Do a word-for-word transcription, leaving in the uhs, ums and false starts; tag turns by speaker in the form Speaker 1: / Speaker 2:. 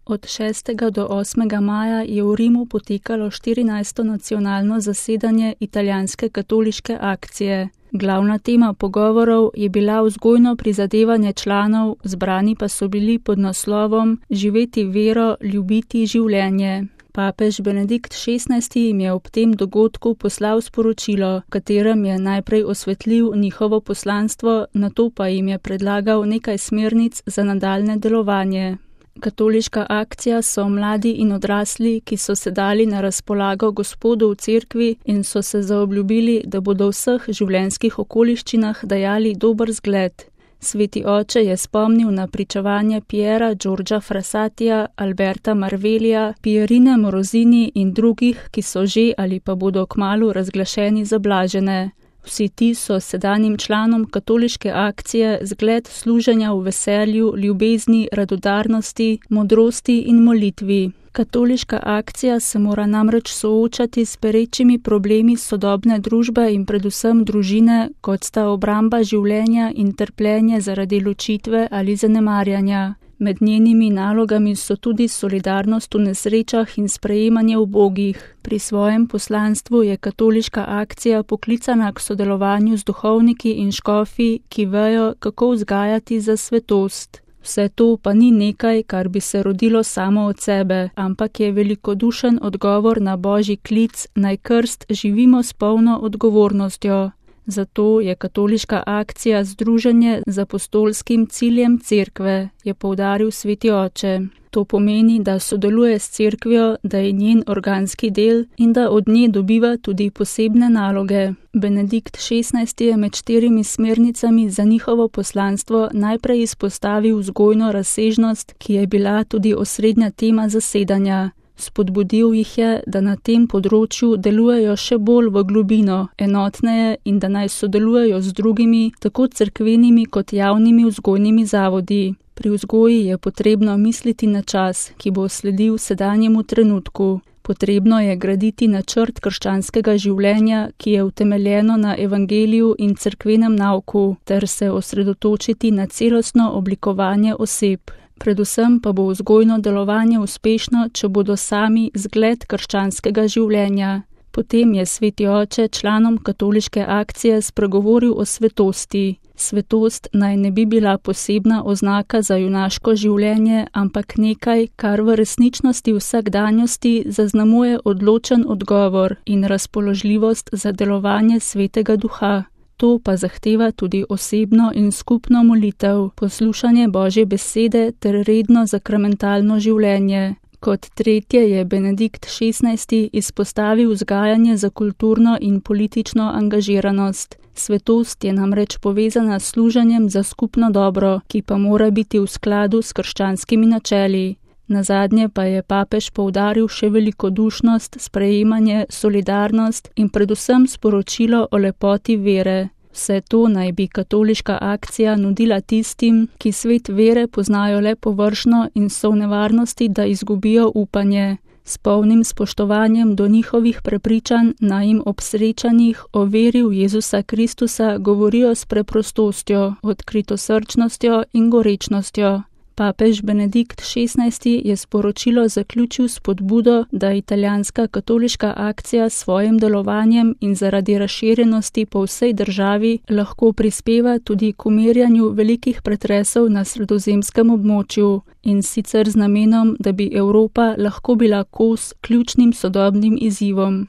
Speaker 1: Od šestega do osmega maja je v Rimu potekalo štirinajsto nacionalno zasedanje italijanske katoliške akcije. Glavna tema pogovorov je bila vzgojno prizadevanje članov, zbrani pa so bili pod naslovom Živeti vero, ljubiti življenje. Papež Benedikt šestnajsti jim je ob tem dogodku poslal sporočilo, v katerem je najprej osvetlil njihovo poslanstvo, nato pa jim je predlagal nekaj smernic za nadaljne delovanje. Katoliška akcija so mladi in odrasli, ki so se dali na razpolago Gospodu v cerkvi in so se zaobljubili, da bodo v vseh življenjskih okoliščinah dajali dober zgled. Sveti oče je spomnil na pričevanje Piera Giorgia Frassatija, Alberta Marvelija, Pierine Morosini in drugih, ki so že ali pa bodo kmalu razglašeni za blažene. Vsi ti so sedanjim članom katoliške akcije zgled služenja v veselju, ljubezni, radodarnosti, modrosti in molitvi. Katoliška akcija se mora namreč soočati s perečimi problemi sodobne družbe in predvsem družine, kot sta obramba življenja in trpljenje zaradi ločitve ali zanemarjanja. Med njenimi nalogami so tudi solidarnost v nesrečah in sprejemanje ubogih. Pri svojem poslanstvu je katoliška akcija poklicana k sodelovanju z duhovniki in škofi, ki vejo, kako vzgajati za svetost. Vse to pa ni nekaj, kar bi se rodilo samo od sebe, ampak je velikodušen odgovor na Božji klic, naj krst živimo s polno odgovornostjo. Zato je katoliška akcija združenje z apostolskim ciljem cerkve, je poudaril sveti oče. To pomeni, da sodeluje s cerkvijo, da je njen organski del in da od nje dobiva tudi posebne naloge. Benedikt šestnajsti je med štirimi smernicami za njihovo poslanstvo najprej izpostavil vzgojno razsežnost, ki je bila tudi osrednja tema zasedanja. Spodbudil jih je, da na tem področju delujejo še bolj v globino, enotneje in da naj sodelujejo z drugimi, tako cerkvenimi kot javnimi vzgojnimi zavodi. Pri vzgoji je potrebno misliti na čas, ki bo sledil sedanjemu trenutku. Potrebno je graditi načrt krščanskega življenja, ki je utemeljeno na evangeliju in cerkvenem nauku, ter se osredotočiti na celostno oblikovanje oseb. Predvsem pa bo vzgojno delovanje uspešno, če bodo sami zgled krščanskega življenja. Potem je sveti oče članom katoliške akcije spregovoril o svetosti. Svetost naj ne bi bila posebna oznaka za junaško življenje, ampak nekaj, kar v resničnosti vsakdanjosti zaznamuje odločen odgovor in razpoložljivost za delovanje svetega duha. To pa zahteva tudi osebno in skupno molitev, poslušanje Božje besede ter redno sakramentalno življenje. Kot tretje je Benedikt šestnajsti izpostavil vzgajanje za kulturno in politično angažiranost. Svetost je namreč povezana s služenjem za skupno dobro, ki pa mora biti v skladu s krščanskimi načeli. Nazadnje pa je papež poudaril še velikodušnost, sprejemanje, solidarnost in predvsem sporočilo o lepoti vere. Vse to naj bi katoliška akcija nudila tistim, ki svet vere poznajo le površno in so v nevarnosti, da izgubijo upanje. S polnim spoštovanjem do njihovih prepričanj naj jim ob srečanjih o veri v Jezusa Kristusa govorijo s preprostostjo, odkritosrčnostjo in gorečnostjo. Papež Benedikt šestnajsti je sporočilo zaključil s spodbudo, da italijanska katoliška akcija s svojim delovanjem in zaradi razširjenosti po vsej državi lahko prispeva tudi k umirjanju velikih pretresov na sredozemskem območju in sicer z namenom, da bi Evropa lahko bila kos ključnim sodobnim izzivom.